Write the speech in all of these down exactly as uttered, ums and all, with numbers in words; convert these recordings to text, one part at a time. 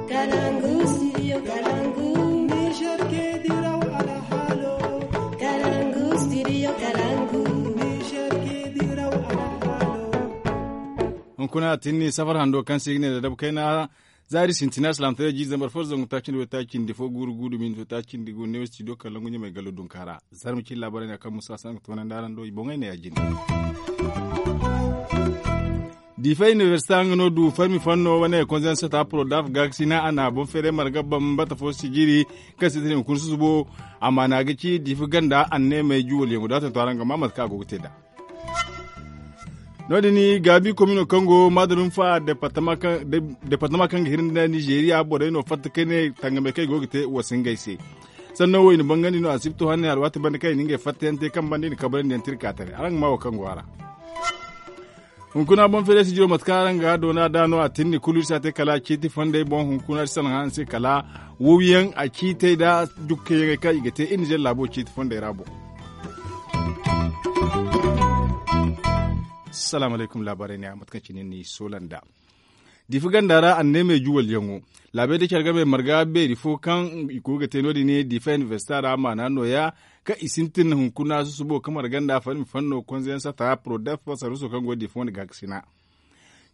Kalangu, studio Kalangu. Niger ke diraw alhalo. Kalangu, studio Kalangu. Niger ke diraw alhalo. Hunkuna a tinni safar hando kaŋ se i ga ne da dabu kayna zaari sintina salaamtaray jiiri zambar fo zangu taaci nda way taaci nda fo guuru guuru minti taaci nda gu neewo studio Kalangu ɲamay gallo dunkaara. Zarma cine laabaray no kaŋ musa saŋ ga toonandi araŋ do i boŋey ne ya- jine. Difa inibersita nga no du farmi fanno wane konzensata prodaf gaksina a na boŋ feeray marga bambata fo sijiri kaŋ sintin hunkuna susubo. Amaana ga ci difa ganda anneemey juwalyaŋo da a tantu araŋ ga ma mate kaŋ a go ga te nd'a. No- din gaabi komino kaŋ go maadalum fa departama kaŋ ga hiri nda nizeeriya borey no fatta kayne tangamey kaŋ i go ga te wa si ngey se. Sanno wo i na bangandi no asibto hane alwaati banda kaŋ i na ngey fattayaŋ te kaŋ banda i na kabrandi yaŋ tirka taray araŋ ga ma wo kaŋ go a ra. Hunkuna boŋ feeray sijiro mate kaŋ araŋ ga doona da no a tinni kulu iri si a te kala ciiti fondey boŋ hunkuna iri salaŋ hane se kala wowyaŋ a ciitey nda jukkayaŋey kaŋ i ga te iri nizer laabo ciiti fondey ra boŋ. Salaamu alaykum laabaarey ne a mate kaŋ cine ni soola nd'a. Difa ganda ra anneemey juwalyaŋo laabey da care game marga beeri fo kaŋ i go ga te no- din difa inibersita ra maana nooya kaŋ i sintin hunkuna susubo kaŋ marga nda farmi fanno konzeyaŋ sata prodef saruuso kaŋ go difa wane gaakasina.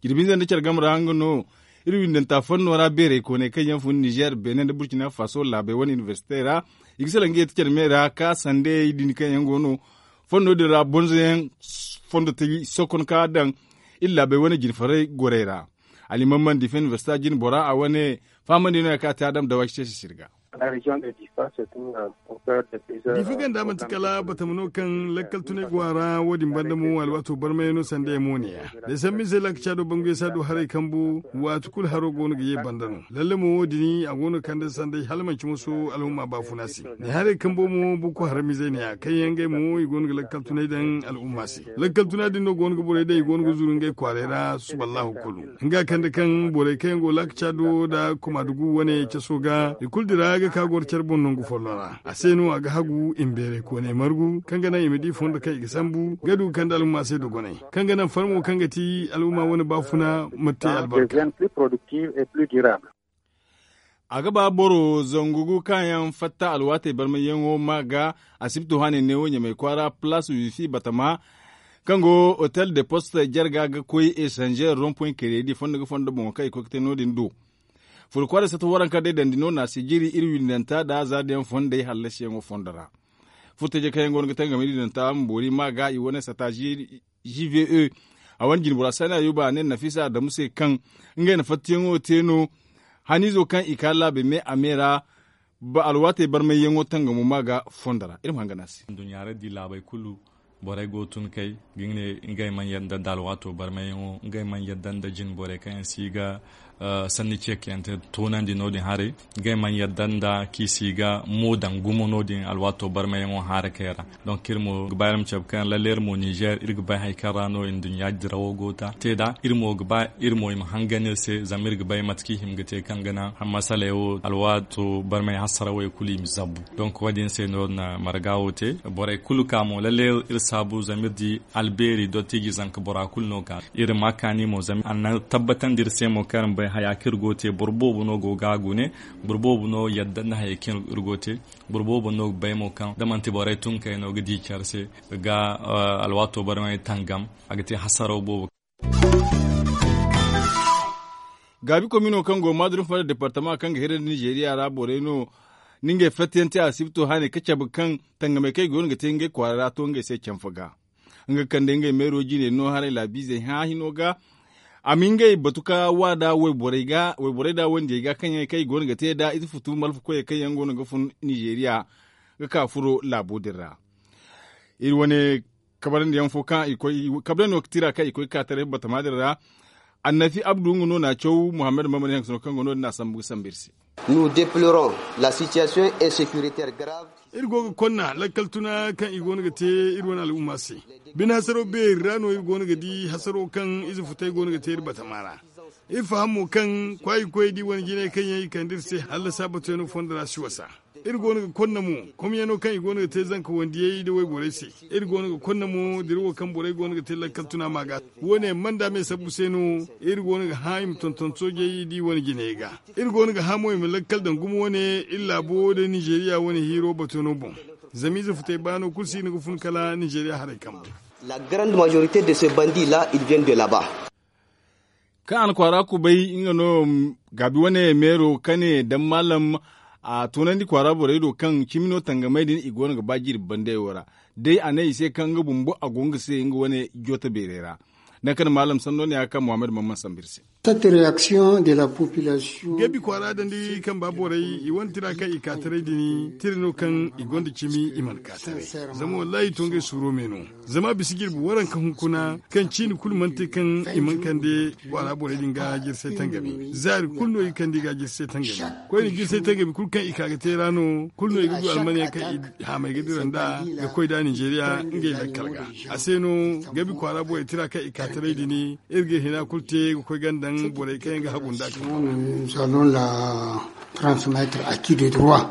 Jirbi hinza nda care game ra nga no iri windanta fanno ra beerey kooney kaŋ yaŋ fun nizer beene nda burkina faso laabey wane inibersitey ra i ga salaŋ ga ye ti care me ra ka sandey din kaŋ yaŋ go no fondo din ra bonzoyaŋ fondo taji sokon ka daŋ iri laabey wane jinfaray gorey ra. Alimamman difa inibersita jine bora a wane fahamandi no ya kaŋ a te adam dawaci se sisiri ga. Difa ganda manti kala batama no kaŋ lakkal tunay go a ra wo- din banda mo alwaato barmayaŋ no sanda yaŋ mo ne ya da sambu ize laakaca do bangu yaŋ si a du haray kambu waati kulu haro go no ga ye banda no lalle mo wo- din a go no ga kande sanday hala manci moso alhumma baafuna se. Ne haray kambo mo boko haramizey ne ya kaŋ yaŋ ngey mo i go no ga lakkal tunay daŋ alhumma se. Lakkal tuna din no go no ga borey daŋ i go no ga zuru ngey kwaaray ra suballahu kulu nga kande kaŋ borey kaŋ yaŋ go laakaca do nda komadugu wane caso ga i kulu dira ga ka goro care boŋ nangu folloŋ ra a se no a ga hagu i ma beeray kooney margu kaŋ ga naŋ i ma di fondo kaŋ i ga sambu ga du ga kande alhumma se dogonay kaŋ ga naŋ farmo kaŋ ga ti alhumma wane baafuna ma te albarka. A ga ba boro zangu gu kaŋ yaŋ fatta alwaatey barmayyaŋo ma ga asibto hane neewo ɲamay kwaara palaas wifi batama kaŋ go hotel de poste jarga ga koy esanzeer rompoy keredi fondo ga fondo boŋo kaŋ i koy ga te no- din do. Furo kwaaray satta waranka day dandi no naasi jiri iri windanta nda zaadayaŋ fondey hallasiyaŋo fondo ra. Furtajey kaŋ yaŋ go no ga tangam iri windanta ma boori ma ga i wane satta jiri gve a wane jinbora saani ayuba a ne nafisa adamu se kaŋ ngey na fattayaŋo te no. Haniizo kaŋ i ka laabe me a me ra alwaatey barmayyaŋo tangamo ma ga fondo ra iri ma hanga no a se. Nduɲɲa ra di laabey kulu borey go tun kay ga ne ngey mana yadda nda alwaato barmayyaŋo ngey mana yadda nda jinborey kaŋ yaŋ si ga sanni ceekayante toonandi no- din haray. Ngey mana yadda nda kaŋ i si ga mo daŋ gumo no- din alwaato barmayyaŋo haarakey ra. Donk iri mo ga ba iri ma cabe kaŋ lalle iri mo nizer iri ga bay hari kaŋ ra no nduɲɲa dirawo go ga te nd'a iri mo ga ba iri mo i ma hangan iri se zama iri ga bay mate kaŋ i hima ga te kaŋ ga naŋ masaley wo alwaato barmay hasarawey kulu i ma zabbu. Donk wo- din se no iri na marga wo te borey kulu ka mo lalle iri saabu zama iri di albeeri dottiiji zanka bora kulu no ka iri ma kaani mo zama a na tabbatandi iri se mo kaŋ iri ma bay haya kaŋ iri go ga te boro boobo no go ga a gune. Boro boobo no yadda nda hayey kaŋ iri go ga te. Boro boobo no ga bay mo kaŋ da manti borey tun kay no ga di care se ga alwaato barmay tangam a ga te hasaraw boobo. Gaabi komino kaŋ go maaduru fara departama kaŋ ga hira nda nizeeriya ra borey no. Ni ngey fattayaŋ te asibto hane ka cabe kaŋ tangamey kaŋ i go no ga te ngey kwaara ra to ngey se canfa ga nga ga kande ngey meero jine no haray laabiizey hã hino ga. A ma ngey batu ka waada wayborey da wandiyey ga kaŋ yaŋ kaŋ i go no ga te nd'a ize futu malfa koyey kaŋ yaŋ go no ga fun nizeeriya ga ka furo laabo din ra. Iri wane kabarandiyaŋ fo kaŋ i koy kabrandi no ga tira kaŋ i koy ga ka taray batama din ra. Annafi abdu nga no n'a caw muhammad maman yaŋ ga sano kaŋ go no- din a sambu ga sambu iri se. Nous deplorons la situation insécuritaire grave. Iri go ga konna lakkal tuna kaŋ i go no ga te iri wane al'umma se. Bine hasaro beeri ra no iri go no ga di hasaro kaŋ ize futay go no ga te iri batama ra. Iri faham mo kaŋ kwaayi koy da i wane jinay kaŋ yaŋ i kande iri se hallasa batuyano fondo ra si wasa. Iri go no ga konna mo komyano kaŋ i go no ga te zanka wandiyey nda wayborey se. Iri go no ga konna mo dira wo kaŋ borey go no ga te lakkal tuna maaga. Wo- ne manda me sabbu se no. Iri go no ga hã i ma tonton soojey di wane jinayey ga. Iri go no ga hã mo i ma lakkal daŋ gumo wane iri laabo nda ninzeeriya wane hiiro bato no boŋ. Zama ize futey baano kulu si hin ga fun kala ninzeeriya haray kambe. La grande majorité de ce bandit la il vient de laba. Kaŋ a na kwaara kubay nga no gaabi wane meero kane daŋ maalam. A toonandi kwaara borey do kaŋ cimi no tangamey din i go no ga ba jirbi bandey wo ra. Day a ne i se kaŋ nga bumbo a go nga se nga wane joota beerey ra. Naŋ kaŋ maalam sanno ne ya kaŋ muhammad mamman sambu iri se. Cette réaction de la population. Gabi kwaara dandi kaŋ ba borey i wane tira kaŋ i ka taray din tira no kaŋ i gonda cimi i mana ka taray. Zama wallahi i to ngey suuro me no. Zama a bisa jirbi waranka hunkuna kaŋ ciini kulu mana te kaŋ i mana kande kwaara borey din ga jirsay tangami zaari kulu no i kande i ga jirsay tangami. Koyne jirsay tangami kulu kaŋ i ka ga te ra no kulu no i ga du almaniya kaŋ i haamay ga dira nda ga koy da ninzeeriya ngey lakkal ga. A se no gabi kwaara borey tira kaŋ i ka taray din iri ga hina kulu te ga koy gandaŋ borey kaŋ yaŋ ga hagu nda a kaŋ salon la transmettre a ki de droit.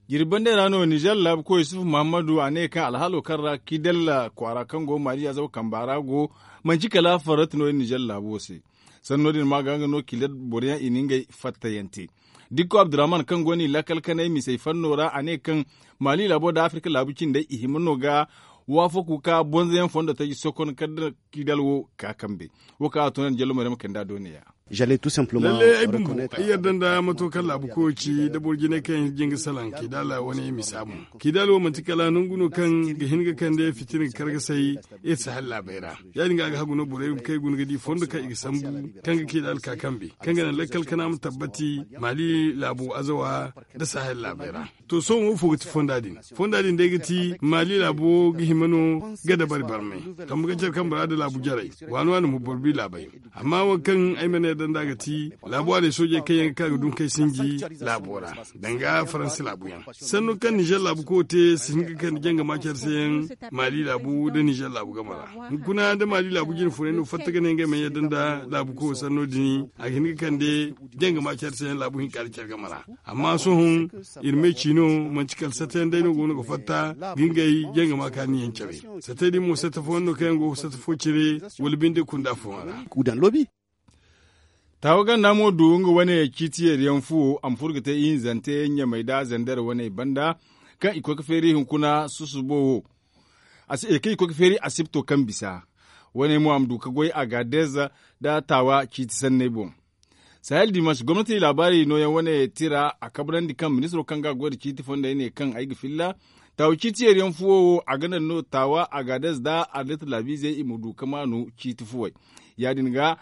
Jirbi bande ra no nizer laabu koy yusuf muhammadu a ne kaŋ alhaalo kaŋ ra kidalla kwaara kaŋ go maali azaw kamba ra go manci kala farrati no iri nizer laabu wo se. Sanno din ma ga nga no kidal boro yaŋ i na ngey fattayaŋ te. Dikko abdurrahman kaŋ go no i lakkal kanay misey fanno ra a ne kaŋ maali laabo nda afirka laabu cindey i hima no ga waafaku ka bonzoyaŋ fondo taji sokon kala da kidal wo ka kambe. Wo kaŋ a toonandi jallo maryama kanda doone ya. Lalle ay bumbo ay yarda nda mato kaŋ laabu koyo ci da boro jinay kaŋ yaŋ ga jin ga salaŋ kidala wane misa boŋ. Kidala wo manti kala nangu no kaŋ ga hin ga kande fitina ga kar ga say iri sahel laabey ra. Ya- din ga a ga hagu no borey kaŋ ay guna ga di fondo kaŋ i ga sambu kaŋ ga kidala ka kambe kaŋ ga naŋ lakkal kana ma tabbati maali laabo azawa nda sahel laabey ra. To sohõ wo fo ga ti fonda din? Fonda din day ga ti maali laabo ga hima no ga dabari barmay kambe ga care kambe ra nda laabu jarey waani waani mo boro bi laabey. Amma wo kaŋ ay mana yadda nd'a ga ti laabo waaney soojey kaŋ yaŋ ga ka ga dunkey sinji laabo ra danga faransi laabu yaŋ. Sanno kaŋ nizer laabu koyo te si hin ga kande jangama care se yaŋ maali laabu nda nizer laabu game ra. Hunkuna nda maali laabu jine funay no fatta ga ne ngey mana yadda nda laabu koyo sanno din a ga hin ga kande jangama care se yaŋ laabu hinka nda care game ra. Amma sohõ iri me ci no manti kala sata yaŋ day no go no ga fatta ga ngey jangama kaani yaŋ care. Sata din mo sata fooyaŋ no kaŋ yaŋ go ga sata fo cire wala binde kunda fooyaŋ ra. Taawa ganda mo du nga wane ciiti yeeri yaŋ fuwo a ma furo ga te ihinzante ɲamey nda zandar wane banda kaŋ i koy ga feeri hunkuna susubo wo. Kaŋ i koy ga feeri asibto kaŋ bisa wane mo a ma du ga goy agaadez nda taawa ciiti sanney boŋ. Sahel dimansi gomnati laabaari nooyaŋ wane tira a kabrandi kaŋ ministiro kaŋ ga a goy nda ciiti fondey ne kaŋ ay ga filla taawa ciiti yeeri yaŋ fuwo wo a ga naŋ no taawa agaadez nda arlit laabiizey i ma du ga maanu ciiti fuwey. Ya- din ga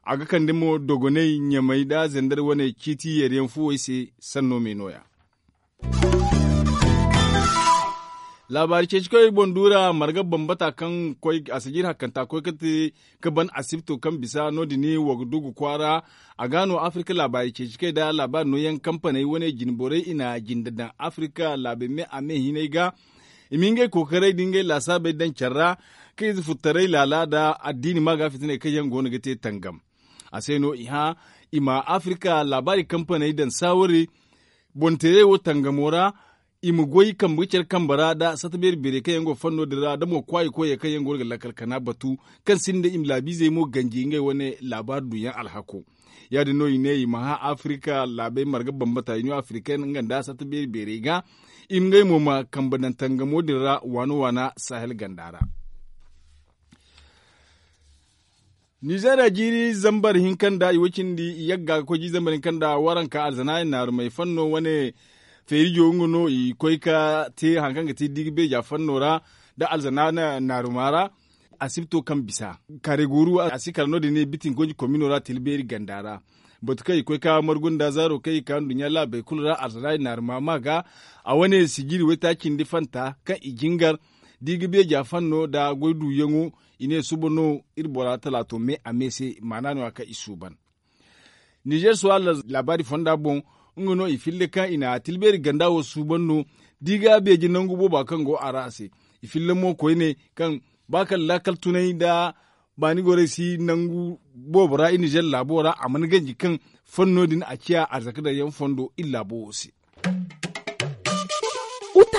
a ga kande mo dogoney ɲamey nda zandar wane ciiti yeeri yaŋ fuwey se. Sanno me nooya. Laabaari ceeci koy boŋ duura marga bambata kaŋ koy a si jiiri hakkanta koy ga te ga ban asibto kaŋ bisa no- din wa ga du ga kwaara. A ga no afirka laabaari ceeci koy nda laabaari nooyaŋ kampaney wane jine borey i na jinde daŋ afirka laabey me a me hinay ga i ma ngey kookaray nda ngey laasaabey daŋ care ra kaŋ ize futtaray laala nda addiini ma ga fitiney kaŋ yaŋ go no ga te tangam. A se no i hã i ma afirka laabaari kampaney daŋ saawari boŋ teerey wo tangamo ra. I ma goy kambe ga care kambe ra nda sata beeri beerey kaŋ yaŋ go fanno din ra nda mo kwaayi koyey kaŋ yaŋ go no ga lakkal kana batu kaŋ sinda i ma laabiizey mo ganji ngey wane laabaari duɲɲa alhako. Ya- din no i ne i ma hã afirka laabey marga bambata i no afirka nga nda sata beeri beerey ga i ma ngey mo ma kambe daŋ tangamo din ra waana waana sahel ganda ra. Nizeeriya jiiri zambar hinka nda i way cindi i yagga ga koy jiiri zambar hinka nda waranka alzana naarumey fanno wane feerijo nga no i koy ga te hari kaŋ ga te diga beeja fanno ra nda alzana naaruma ra. Asibto kaŋ bisa kaare gooru a si kala no- din ne bitin gonji komino ra tila beeri ganda ra. Batu kaŋ i koy ga margu nda zaaro kaŋ i ga ka nduɲɲa laabey kulu ra alzana naaruma ma ga a wane sijiri waytaaci nda fanta kaŋ i jingar diga beeja fanno nda goy duuyaŋo. I ne suba no iri bora talaato me a me se maana no- ya kaŋ i suuban. Nizer suwa laabaari fonda boŋ nga no i filla kaŋ i na tilbeeri ganda wo suuban no. Da i ga beeje nangu booba kaŋ go a ra a se i filla mo koyne kaŋ ba kala laakal tunay nda baani gorey si nangu boobo ra i nizer laabo ra a mana ganji kaŋ fanno din a ciya arzaka daŋ yaŋ fondo iri laabo wo se.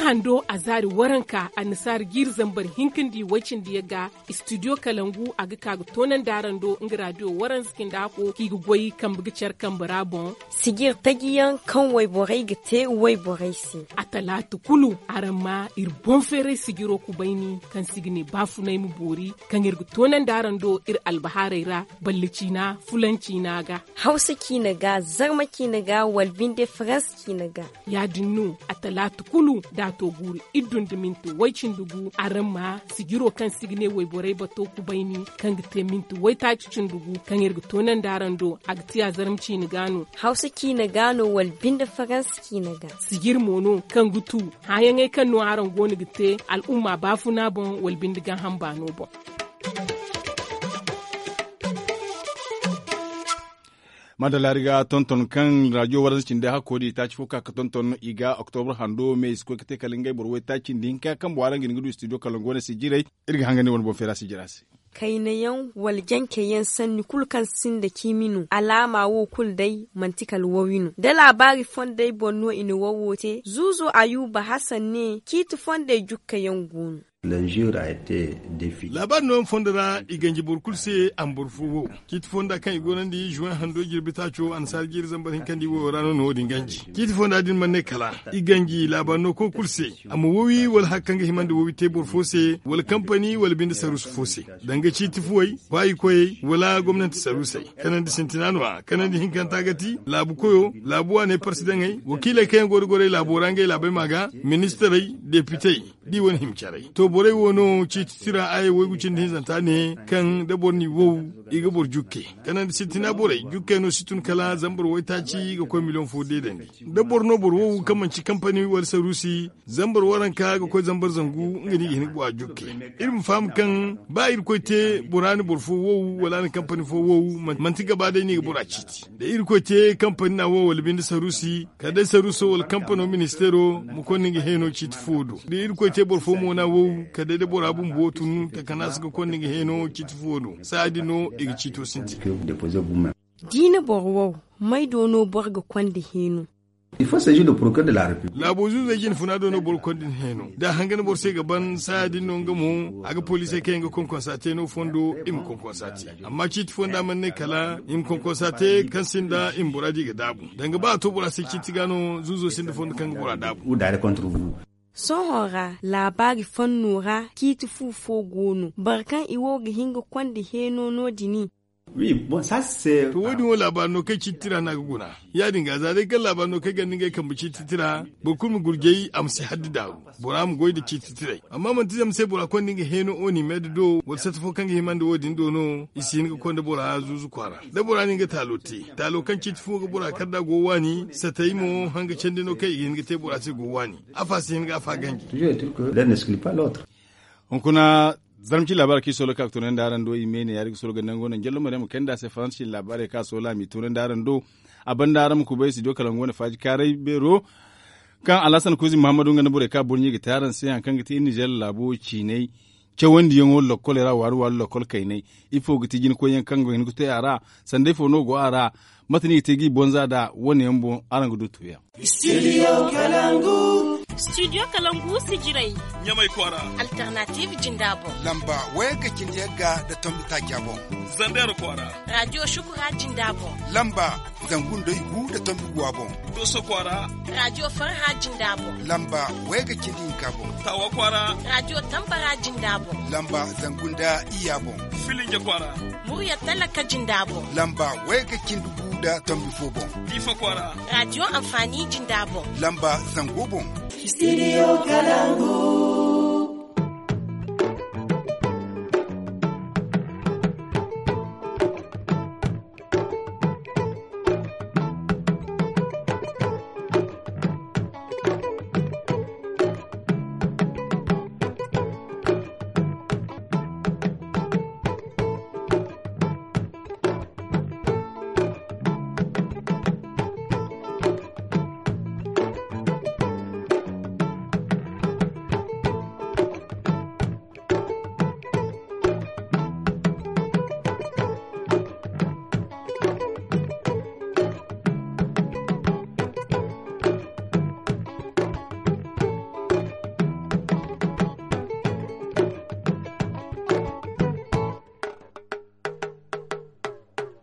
Hando a zaari waranka annasaara jiiri zambar hinka nda i way-cindi yaŋ ga. Istidiyo kalangu a ga ka ga toonandi araŋ do nga raadiyo waransa cinda hako kaŋ i ga goy kambe ga care kambe ra boŋ. Sijir taji yaŋ kaŋ wayborey ga te wayborey se. A talaata kulu araŋ ma iri boŋ feeray sijiro kubayni kaŋ se i ga ne baafunay ma boori kaŋ iri ga toonandi araŋ do iri albahaarey ra. Balle ciina fulaŋ ciina ga. Hawsa ciina ga zarma ciina ga wala binde faransa ciina ga. Ya- din no a talaata kulu da a to guuru iddu nda minti way-cindi gu araŋ ma sijiro kaŋ se i ga ne wayborey bato kubayni kaŋ ga te minti waytaaci cindi gu kaŋ iri ga toonandi araŋ do. A ga ti a zarma ciina ga no. Hawsa ciina ga no wala binde faransa ciina ga. Sijir mo no kaŋ ga tu hããyaŋey kaŋ no araŋ go no ga te al'umma baafuna boŋ wala binde gaaham baano boŋ. Madalla iri ga tonton kaŋ raadiyo waransa cindi hakko da i taaci fo ka ga tonton i ga oktobra hando me i si koy ga te kala ngey boro waytaaci nda hinka kaŋ boro araŋ ga hin ga du istidiyo kalangu wane sijirey. Iri ga hangan iri wane boŋ feera sijira se. Kayna yaŋ wala jance yaŋ sanni kulu kaŋ sinda ciimi no alaama wo kulu day manti kala wawi no da laabaari fondey boŋ no i na wawo te zuuzo ayuba hasan ne ciiti fondey jukka yaŋ go no. Laabaari nooyaŋ fondo ra i ganji boro kulu se a ma boro fo wow. Ciiti fonda kaŋ i goonandi zuwen hando jirbi taaco annasaara jiiri zambar hinka nda i wayo ra no na wo- din ganji. Ciiti fonda din mana ne kala i ganji laabaari no koy kulu se a ma wawi wala hari kaŋ ga hima nda wawi te boro fo se wala kampani wala binde saruusu fo se, danga ciiti fuwey baayikoyey wala gomnanti saruusey. Kanandi sintina no- ya kanandi hinkanta ga ti laabu koyo laabu waaney parsidaŋey wakiiley kaŋ yaŋ go da gorey laabo ra ngey laabey ma ga ministirey depitey da i wane hima caray. To borey wo no ciiti tira aya waygu cindi hinzanta ne kaŋ da boro n'i wow i ga boro jukke. Kanandi sintina borey jukkey no si tun kala zambar waytaaci ga koy miliyoŋ fo deedandi. Da boro no boro wow kaŋ manci kampani wala saruusi zambar waranka ga koy zambar zangu nga no i ga hin ga bora jukke. Iri ma faham kaŋ ba irkoy te bora na boro fo wow wala a na kampani fo wow manti gaba day no i ga bora ciiti. Da irkoy te kampani na wo wala binde saruusi kala day saruuso wala kampano ministeero ma konda nga heeno ciiti fo do da irkoy te boro fo mo na wo kala day da bora bumbo tun takanaasa ga konda nga heeno ciiti fo do saaya din no i ga ciito sintin. Diina boro wo may do no boro ga konda heeno? Laabo zuuzey jinfuna do no boro ga konda ni heeno da a hangan boro se ga ban saaya din no nga mo a ga poliisey kaŋ yaŋ ga konkonsa te no fondo i ma konkonsa te. Amma ciiti fonda mana ne kala i ma konkonsa te kaŋ sinda i ma bora di ga daabu danga ba a to bora se ciiti ga no zuuzo sinda fondo kaŋ ga bora daabu. Sohõ ra laabaari fanno ra ciiti fu fo go no boro kaŋ i wo ga hin ga konda heeno no- din. To wo- din wo laabaari no kaŋ ciiti tira no a ga guna. Ya- din ga za day kaŋ laabaari no kaŋ ganda ngey kambe ciiti tira boro kulu ma gurjay a ma si haddi daaru. Bora ma goy nda ciiti tiray amma manti zama se bora konda nga heeno o ni meeda do wala sata fo kaŋ ga hima nda wo- din do no i si hin ga konda bora zuuzu kwaara da bora na nga taalo te taalo kaŋ ciiti fo ga bora kar nd'a go waani satay mo hanga candi no kaŋ i ga hin ga te bora se go waani. Afa si hin ga afa ganji. Hunkuna zarma ci laabaarey kaŋ i soolay ka ga toonandi araŋ do i me ne ya- din ga soolay ga nango naŋ jallo maryam kayna nd'a se faransa ci laabaarey kaŋ a soolay a m'i toonandi araŋ do. A banda araŋ ma kubay studio kalangu wane faaji kaaray beero kaŋ alhasan kuuzi muhammadu nga nda borey kaŋ a boro ɲey ga te araŋ se hari kaŋ ga te iri nizeer laabo ciinay cawandiyaŋo lokkoley ra waari waari lokkol kaynay. Ifo ga ti jina koyyaŋ kaŋ ga hin ga te a ra? Sanday fo no go a ra? Mate no i ga te ga i bonza nd'a wane yaŋ boŋ araŋ ga du tuuyaŋ. Studio kalangu sijirey ɲamay kwaara. Alternatiiv jinda boŋ lamba wayga cindi yagga nda tombi taaca boŋ. Zandeer kwaara. Raadiyo shukura jinda boŋ lamba zangu nda igu nda tombi guwa boŋ. Dooso kwaara. Raadiyo farha jinda boŋ lamba wayga cindi hinka boŋ. Taawa kwaara. Raadiyo tambara jinda boŋ lamba zangu nda iyya boŋ. Filinja kwaara. Murya talaka jinda boŋ lamba wayga cindi gu nda tombi fo boŋ. Diifa kwaara. Raadiyo anfaani jinda boŋ lamba zango boŋ. Studio kalangu.